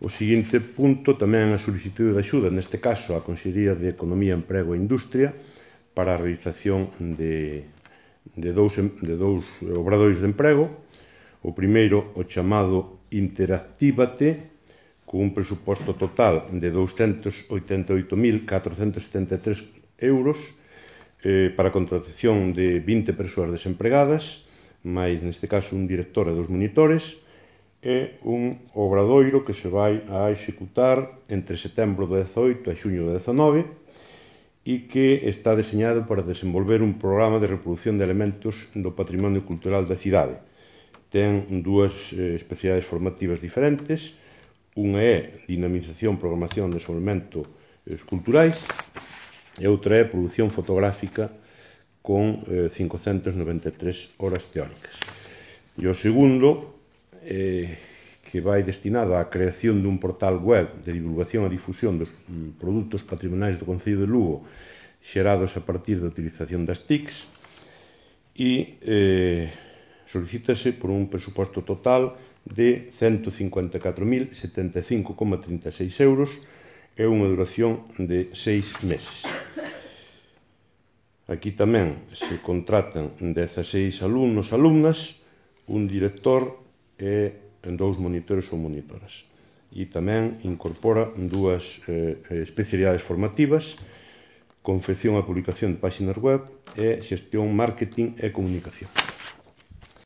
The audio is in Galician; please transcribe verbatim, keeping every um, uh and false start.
O seguinte punto tamén é a solicitude de axuda, neste caso a Consellería de Economía, Emprego e Industria, para a realización de, de, dous, de dous obradoiros de emprego. O primeiro, o chamado Interactívate, con un presuposto total de douscentos oitenta e oito mil catrocentos setenta e tres euros eh, para a contratación de vinte persoas desempregadas, máis, neste caso, un director e dos monitores, e un obradoiro que se vai a executar entre setembro do dezaoito e xuño do dezanove e que está deseñado para desenvolver un programa de reproducción de elementos do patrimonio cultural da cidade. Ten dúas eh, especialidades formativas diferentes. Unha é dinamización, programación e desenvolvemento eh, culturais e outra é produción fotográfica con eh, cincocentas noventa e tres horas teóricas. E o segundo, eh, que vai destinado á creación dun portal web de divulgación e difusión dos mm, produtos patrimoniais do Concello de Lugo xerados a partir da utilización das T I Cs, e eh, solicítase por un presuposto total de cento cincuenta e catro mil setenta e cinco coma trinta e seis euros e unha duración de seis meses. Aquí tamén se contratan dezaseis alumnos, alumnas, un director e dous monitores ou monitoras. E tamén incorpora dúas eh, especialidades formativas: confección e publicación de páxinas web e xestión, marketing e comunicación.